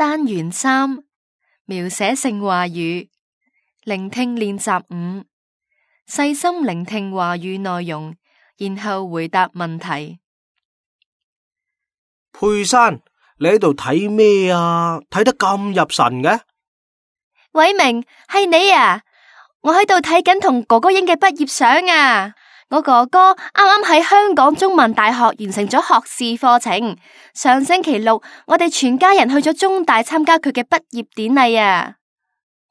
單元3，描寫性話語，聆聽練習5，細心聆聽話語內容，然後回答問題。佩珊，你喺度睇咩啊？睇得咁入神嘅？偉明，係你啊！我喺度睇緊同哥哥影嘅畢業相啊！我哥哥啱啱喺香港中文大學完成咗學士課程，上星期六我哋全家人去咗中大參加佢嘅畢業典禮啊！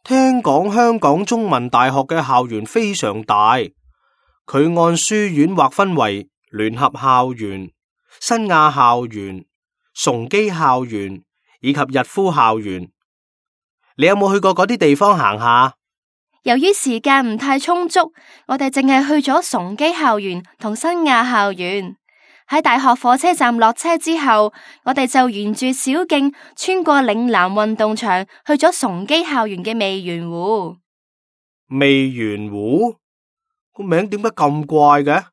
聽講香港中文大學嘅校園非常大，佢按書院劃分為聯合校園、新亞校園、崇基校園以及逸夫校園。你有冇去過嗰啲地方行下？由於時間唔太充足，我哋淨係去咗崇基校園同新亞校園。喺大學火車站落車之後，我哋就沿住小徑穿過嶺南運動場，去咗崇基校園嘅味園湖。味園湖個名點解咁怪嘅？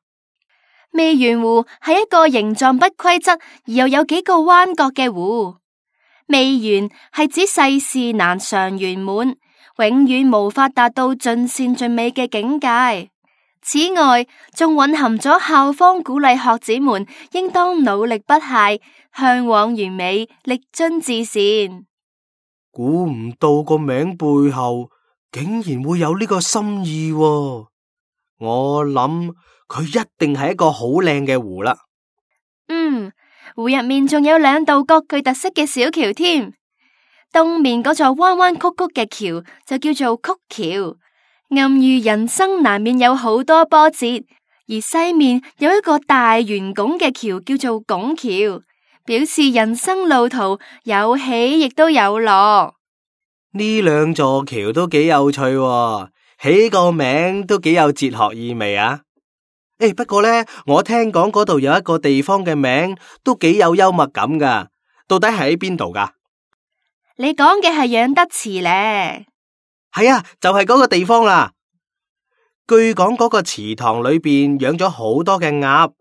味園湖係一個形狀不規則而又有幾個彎角嘅湖。味園係指世事難常圓滿，永遠無法達到盡善盡美嘅境界。此外，仲蘊含咗校方鼓勵學子們應當努力不懈，向往完美，力臻至善。估唔到個名背後竟然會有呢個心意喎。我諗佢一定係一個好靚嘅湖啦。湖入面仲有2道各具特色嘅小橋添。東面嗰座彎彎曲曲嘅橋就叫做曲橋，暗喻人生難免有好多波折；而西面有一個大圓拱嘅橋叫做拱橋，表示人生路途有起亦都有落。呢2座橋都幾有趣喎，起個名都幾有哲學意味啊！不過呢，我聽講嗰度有一個地方嘅名都幾有幽默感噶，到底係喺邊度噶？你講嘅係養德祠呢？係啊，就係嗰個地方啦。據講嗰個祠堂裏邊養咗好多嘅鴨，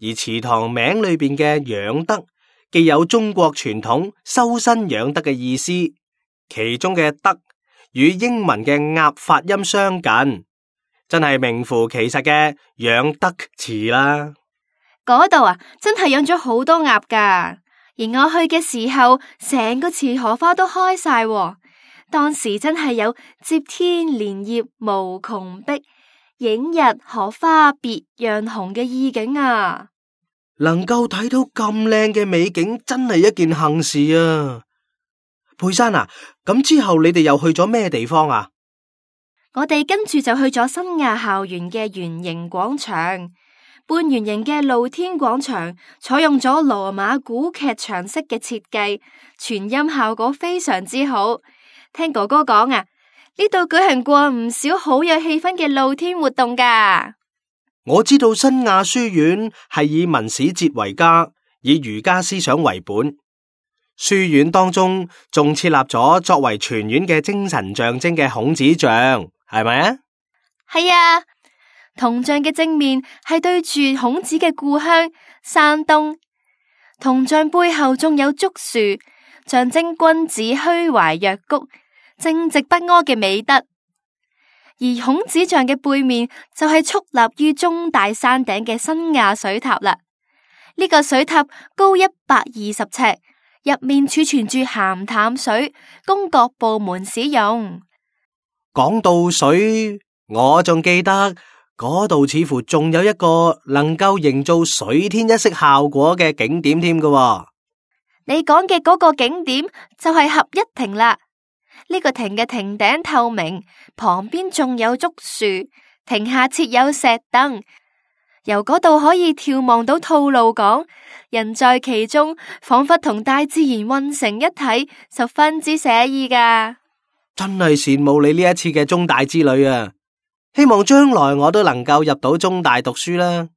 而祠堂名裏邊嘅養德既有中國傳統修身養德嘅意思，其中嘅德與英文嘅鴨發音相近。真係名副其實嘅養德祠啦！嗰度啊，真係養咗好多鴨噶。而我去嘅時候，成個池荷花都開晒喎。當時真係有接天蓮葉無窮碧，映日荷花別樣紅嘅意境啊！能夠睇到咁靚嘅美景，真係一件幸事啊！佩珊啊，咁之後你哋又去咗咩地方啊？我哋跟住就去咗新亞校園嘅圓形廣場，半圓形嘅露天廣場，採用咗羅馬古劇場式嘅設計，傳音效果非常之好。聽哥哥講啊，呢度舉行過唔少好有氣氛嘅露天活動噶。我知道新亞書院係以文史哲為家，以儒家思想為本。書院當中仲設立咗作為全院嘅精神象徵嘅孔子像，係咪啊？係啊，銅像嘅正面係對住孔子嘅故鄉山東，銅像背後仲有竹樹，象徵君子虛懷若谷、正直不阿嘅美德。而孔子像嘅背面就係矗立於中大山頂嘅新亞水塔啦。呢個水塔高120尺。入面儲存住鹹淡水，供各部門使用。講到水，我仲記得嗰度似乎仲有一個能夠營造水天一色效果嘅景點添㗎。你講嘅嗰個景點就係合一亭啦。呢個亭嘅亭頂透明，旁邊仲有竹樹，亭下設有石凳。由嗰度可以眺望到吐露港，人在其中，仿佛同大自然混成一體，十分之寫意噶。真係羨慕你呢一次嘅中大之旅啊！希望將來我都能夠入到中大讀書啦。